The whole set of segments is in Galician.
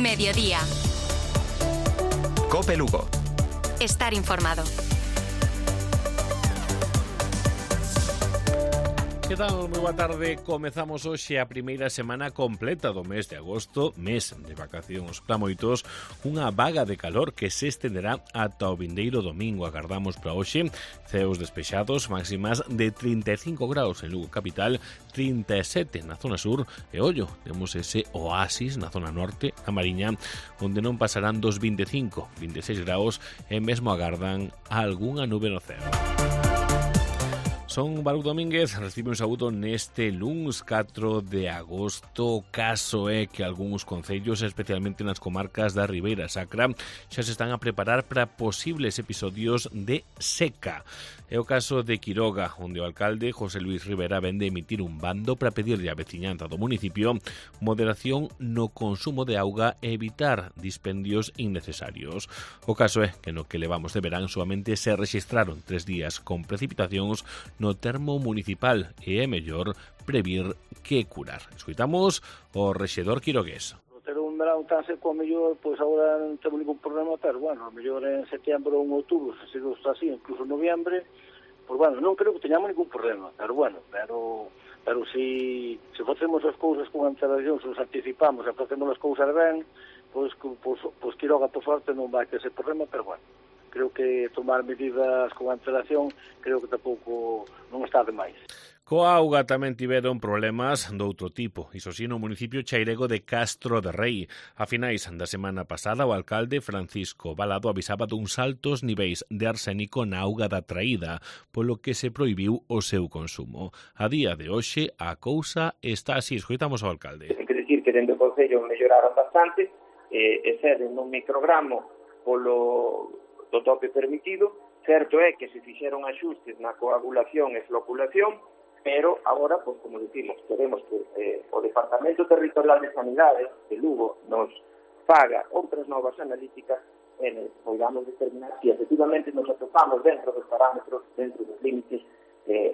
Mediodía. COPE Lugo. Estar informado. Que tal? Moi boa tarde. Comezamos hoxe a primeira semana completa do mes de agosto, mes de vacacións para moitos, unha vaga de calor que se estenderá ata o vindeiro domingo. Agardamos para hoxe ceos despexados, máximas de 35 graus en Lugo capital, 37 na zona sur e ollo, temos ese oasis na zona norte, a Mariña, onde non pasarán dos 25, 26 graus e mesmo agardan algunha nube no ceo. Son Baruch Domínguez, recibe un saúdo neste luns 4 de agosto. O caso é que algúns concellos, especialmente nas comarcas da Ribeira Sacra, xa se están a preparar para posibles episodios de seca. É o caso de Quiroga, onde o alcalde José Luis Rivera ven de emitir un bando para pedirle á veciñanza do municipio moderación no consumo de auga e evitar dispendios innecesarios. O caso é que no que levamos de verán solamente se registraron 3 días con precipitacións no termo municipal e é mellor previr que curar. Escoitamos o rexedor quirogués. Ter un verán tan seco, a mellor, pois agora non temos ningún problema, pero, bueno, a mellor en setembro ou en outubro, se sigo así, incluso en noviembre, pois, bueno, non creo que teñamos ningún problema, pero, bueno, pero se facemos as cousas con antelación, se nos anticipamos e facemos as cousas ben, pois Quiroga, por sorte, non vai ter ese problema, pero, bueno, creo que tomar medidas con antelación creo que tampouco non está de máis. Coa auga tamén tiveron problemas doutro tipo, iso si no municipio chairego de Castro de Rei. A finais da semana pasada, o alcalde Francisco Balado avisaba duns altos niveis de arsénico na auga da traída, polo que se prohibiu o seu consumo. A día de hoxe, a cousa está así. Escoitamos ao alcalde. Ten que dicir que dentro do Concello melloraron bastante, exceden un microgramo polo do tope permitido. Certo é que se fixeron axustes na coagulación e floculación, pero agora, pues, como decimos, queremos que o Departamento Territorial de Sanidade de Lugo nos faga outras novas analíticas e podamos determinar se efectivamente nos atopamos dentro dos parámetros, dentro dos límites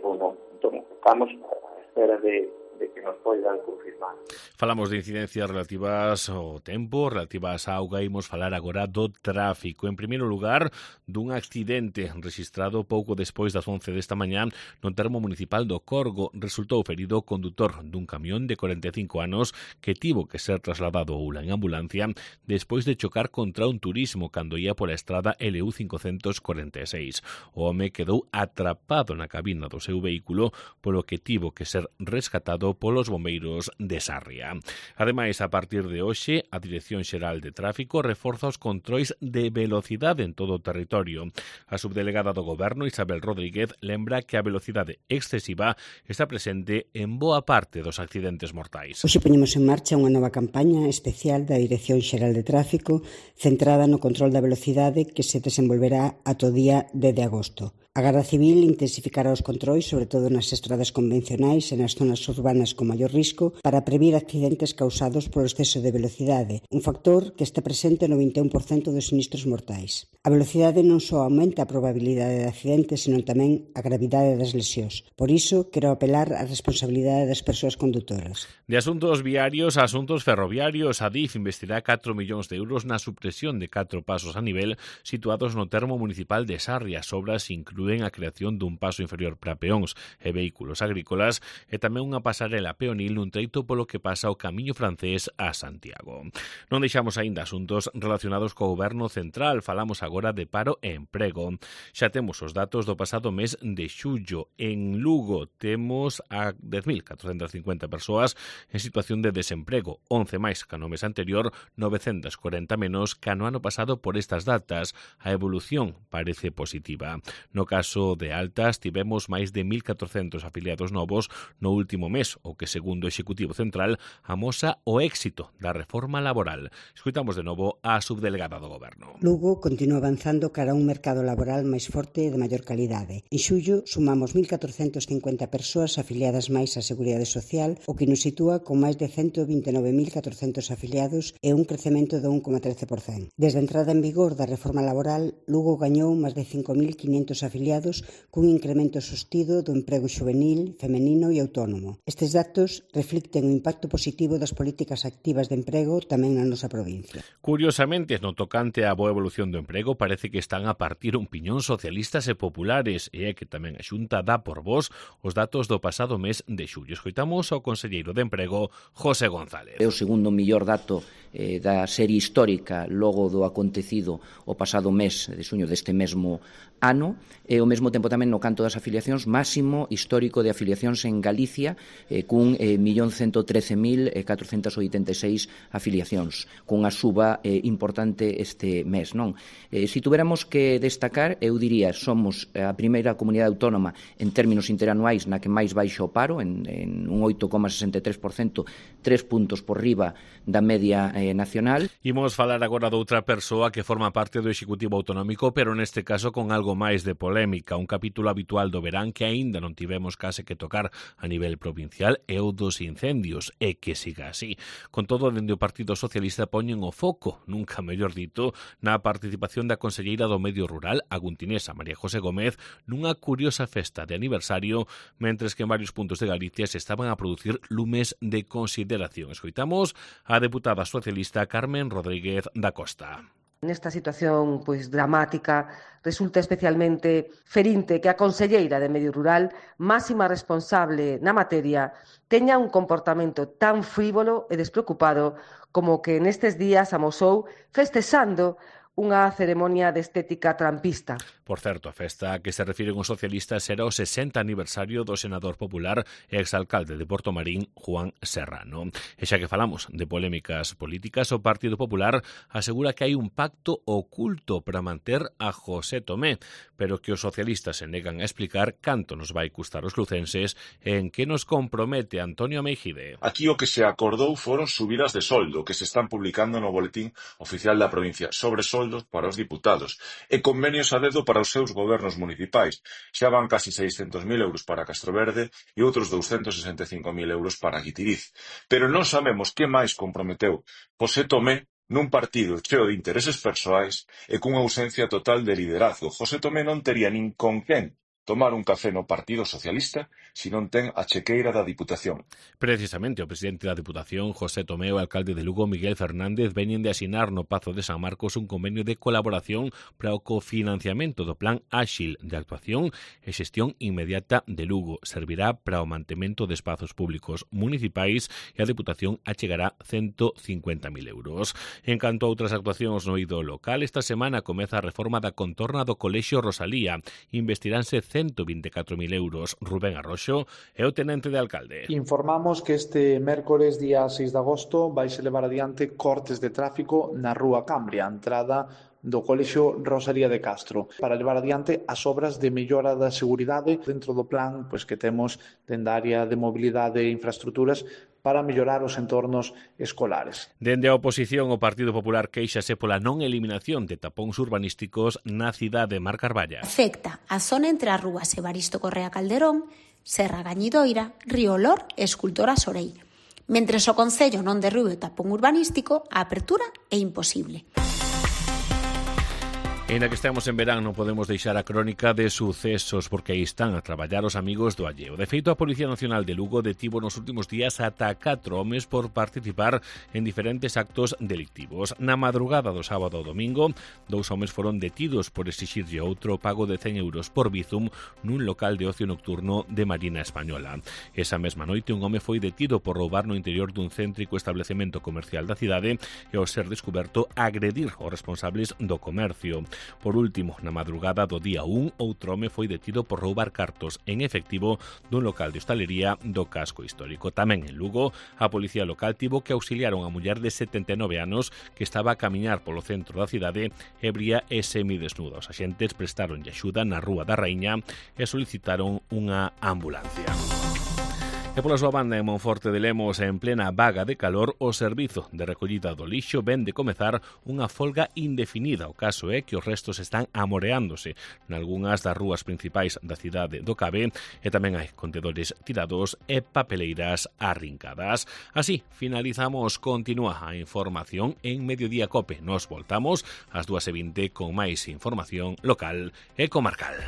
ou non. Entón, estamos a espera de que nos poidan confirmar. Falamos de incidencias relativas ao tempo, relativas á auga, imos falar agora do tráfico. En primeiro lugar, dun accidente registrado pouco despois das 11 desta mañá no termo municipal do Corgo. Resultou ferido o condutor dun camión de 45 anos que tivo que ser trasladado a Oula en ambulancia despois de chocar contra un turismo cando ia pola estrada LU 546. O home quedou atrapado na cabina do seu vehículo, polo que tivo que ser rescatado polos bombeiros de Sarria. Ademais, a partir de hoxe, a Dirección Xeral de Tráfico reforza os controis de velocidade en todo o territorio. A subdelegada do Goberno, Isabel Rodríguez, lembra que a velocidade excesiva está presente en boa parte dos accidentes mortais. Hoxe poñemos en marcha unha nova campaña especial da Dirección Xeral de Tráfico centrada no control da velocidade que se desenvolverá ata o día 10 de agosto. A Garda Civil intensificará os controis, sobre todo nas estradas convencionais e nas zonas urbanas con maior risco, para previr accidentes causados polo exceso de velocidade, un factor que está presente no 21% dos sinistros mortais. A velocidade non só aumenta a probabilidade de accidentes, senón tamén a gravidade das lesións. Por iso, quero apelar á responsabilidade das persoas condutoras. De asuntos viarios a asuntos ferroviarios, a DIF investirá 4 millóns de euros na supresión de 4 pasos a nivel situados no termo municipal de Sarria. As obras inclúen a creación dun paso inferior para peóns e vehículos agrícolas e tamén unha pasarela peonil nun treito polo que pasa o camiño francés a Santiago. Non deixamos aínda asuntos relacionados co goberno central, falamos agora de paro e emprego. Xa temos os datos do pasado mes de xullo. En Lugo temos a 10.450 persoas en situación de desemprego, 11 máis que no mes anterior, 940 menos que no ano pasado por estas datas. A evolución parece positiva. No caso de altas, tivemos máis de 1.400 afiliados novos no último mes, o que, segundo o Executivo Central, amosa o éxito da reforma laboral. Escoitamos de novo a subdelegada do Goberno. Lugo continúa avanzando cara a un mercado laboral máis forte e de maior calidade. En xullo sumamos 1.450 persoas afiliadas máis á Seguridade Social, o que nos sitúa con máis de 129.400 afiliados e un crecemento de 1,13%. Desde a entrada en vigor da reforma laboral, Lugo gañou máis de 5.500 afiliados cun incremento sostido do emprego xuvenil, femenino e autónomo. Estes Estes datos reflicten o impacto positivo das políticas activas de emprego tamén na nosa provincia. Curiosamente, no tocante á boa evolución do emprego, parece que están a partir un piñón socialistas e populares, e é que tamén a Xunta dá por vos os datos do pasado mes de xullo. Escoitamos ao conselleiro de Emprego, José González. É o segundo mellor dato da serie histórica logo do acontecido o pasado mes de xuño deste mesmo ano, e ao mesmo tempo tamén no canto das afiliacións máximo histórico de afiliacións en Galicia, cun 1.113.486 afiliacións, cunha suba importante este mes, non? Se tuveramos que destacar, eu diría, somos a primeira comunidade autónoma en términos interanuais na que máis baixa o paro, en un 8,63%, 3 puntos por riba da media nacional. Imos falar agora de outra persoa que forma parte do Executivo Autonómico, pero neste caso con algo máis de polémica. Un capítulo habitual do verán que aínda non tivemos case que tocar a nivel provincial é o dos incendios, e que siga así. Con todo, dende o Partido Socialista poñen o foco, nunca mellor dito, na participación da conselleira do Medio Rural, aguntinesa María José Gómez, nunha curiosa festa de aniversario, mentres que en varios puntos de Galicia se estaban a producir lumes de consideración. Escoitamos a deputada socialista Carmen Rodríguez da Costa. Nesta situación dramática, resulta especialmente ferinte que a conselleira de Medio Rural, máxima responsable na materia, teña un comportamento tan frívolo e despreocupado como que nestes días amosou festexando unha ceremonia de estética trampista. Por certo, a festa que se refiren os socialistas será o 60 aniversario do senador popular e exalcalde de Portomarín, Juan Serrano. E xa que falamos de polémicas políticas, o Partido Popular asegura que hai un pacto oculto para manter a José Tomé, pero que os socialistas se negan a explicar canto nos vai custar os lucenses e en que nos compromete Antonio Meijide. Aquí o que se acordou foron subidas de soldo que se están publicando no boletín oficial da provincia sobre soldos para os diputados e convenios a dedo para os seus gobernos municipais. Xa van casi 600.000 euros para Castroverde e outros 265.000 euros para Guitiriz. Pero non sabemos que máis comprometeu José Tomé nun partido cheo de intereses persoais e cunha ausencia total de liderazgo. José Tomé non tería nin con quen tomar un café no Partido Socialista se non ten a chequeira da Diputación. Precisamente o presidente da Diputación, José Tomé, e o alcalde de Lugo, Miguel Fernández, veñen de asinar no Pazo de San Marcos un convenio de colaboración para o cofinanciamento do Plan Áxil de Actuación e Xestión Inmediata de Lugo. Servirá para o mantemento de espazos públicos municipais e a Diputación achegará 150.000 euros. En canto a outras actuacións no eido local, esta semana comeza a reforma da contorna do Colexio Rosalía. Investiránse 124.000 euros. Rubén Arroxo é o tenente de alcalde. Informamos que este mércores, día 6 de agosto, vaise levar adiante cortes de tráfico na Rúa Cambria, entrada do Colexio Rosalía de Castro, para levar adiante as obras de mellora da seguridade dentro do plan que temos dende a área de mobilidade e infraestructuras para mellorar os entornos escolares. Dende a oposición, o Partido Popular quéixase pola non eliminación de tapóns urbanísticos na cidade de Mar Carballa. Afecta a zona entre as rúas Evaristo Correa Calderón, Serra Gañidoira, Río Olor e Escultora Sorei. Mentres o Concello non derrube o tapón urbanístico, a apertura é imposible. En a que estamos en verán non podemos deixar a crónica de sucesos porque aí están a traballar os amigos do alleo. De feito, a Policía Nacional de Lugo detivo nos últimos días ata 4 homes por participar en diferentes actos delictivos. Na madrugada do sábado ao domingo, 2 homes foron detidos por exixirlle outro pago de 100 euros por Bizum nun local de ocio nocturno de Marina Española. Esa mesma noite, un home foi detido por roubar no interior dun céntrico establecemento comercial da cidade e ao ser descuberto agredir os responsables do comercio. Por último, na madrugada do día 1, outro home foi detido por roubar cartos en efectivo dun local de hostalería do casco histórico. Tamén en Lugo, a policía local tivo que auxiliar a unha muller de 79 anos que estaba a camiñar polo centro da cidade ebria e semidesnuda. Os axentes prestaronlle axuda na Rúa da Raíña e solicitaron unha ambulancia. E pola súa banda, en Monforte de Lemos, en plena vaga de calor, o servizo de recollida do lixo ven de comezar unha folga indefinida. O caso é que os restos están amoreándose nalgúnas das rúas principais da cidade do Cabe e tamén hai contedores tirados e papeleiras arrincadas. Así, finalizamos. Continúa a información en Mediodía Cope. Nos voltamos ás 2:20 con máis información local e comarcal.